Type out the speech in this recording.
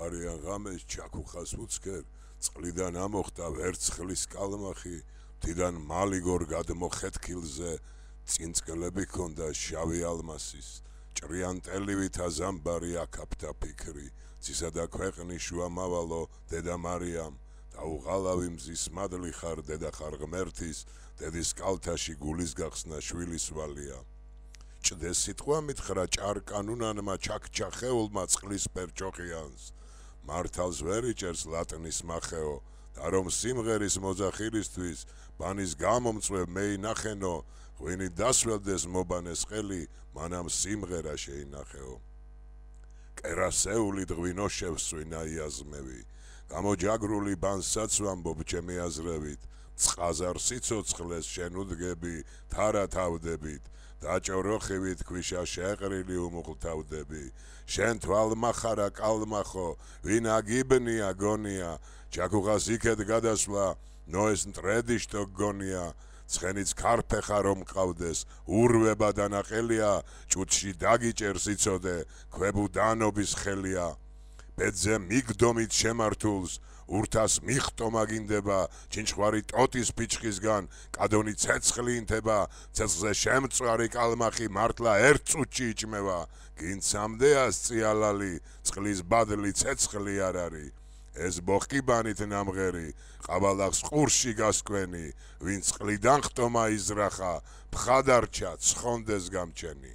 არიან ღამეს ჩაქუხას უცქერ, წყლიდან ამოხდა ვერცხლის კალმახი, თიდან მალიგორ გადმოხეთქილზე, წინწკლები ჰქონდა შავი ალმასის, ჭრიან ტელივით აზამბარი აქაფთა ფიქრი, ცისა და ქვეყნის შუა მავალო დედა მარიამ, დაუღალავი მზის მადლი ხარ დედა ხარ ღმერთის, დედის კალთაში გულის გახსნა შვილის ვალია. ჭდეს სიტყვა მითხრა ჭარკანუნანმა ჩაქჩახეულმა წყლის პერჭოყიანს, მართალს ვერ იჭერს ლატნის მახეო, და რომ სიმღერის მოძახილისთვის ბანის გამომწვევ მეინახენო, ღვინი დასველდეს მობანეს ყელი, მანამ სიმღერა შეინახეო. კერასეული დღვინო შევსვინა იაზმევი, გამოჯაგრული ბანსაც ვამბობ ჩემი აზრევით, წყაზარ სიცოცხლეს შენ უდგები, თარა თავდებით, დაჭოროხივით ქვიშა შეყრილი უმუხლთავდები, შენ თვალმახარა კალმახო, ვინ აგიბნია გონია, ჩაქუხას იქეთ გადასვლა, ნოეს მტრედიშტო გონია, ცხენიც ქარფეხა რომ ყავდეს, ურვება დანაყელია, ჭუთში დაგიჭერს იცოდე, ქვებუ დანობის ხელია. ბედზე მიგდომით შემართულს, ურთას მიხტომა გინდება, ჩინჩხვარი ტოტის ფიჩხისგან, კადონი ცეცხლი ინთება, ცეცხლზე შემწვარი კალმახი მართლა ერთ წუთში იჭმევა, გინცამდეა სწიალალი, წყლის ბადლი ცეცხლი არ არის. ეს ბოხკიბანით ნამღერი, ყაბალახს ყურში გასკვენი, ვინც წყლიდან ხტომა იზრახა, ფხადარჩა ცხონდეს გამჩენი.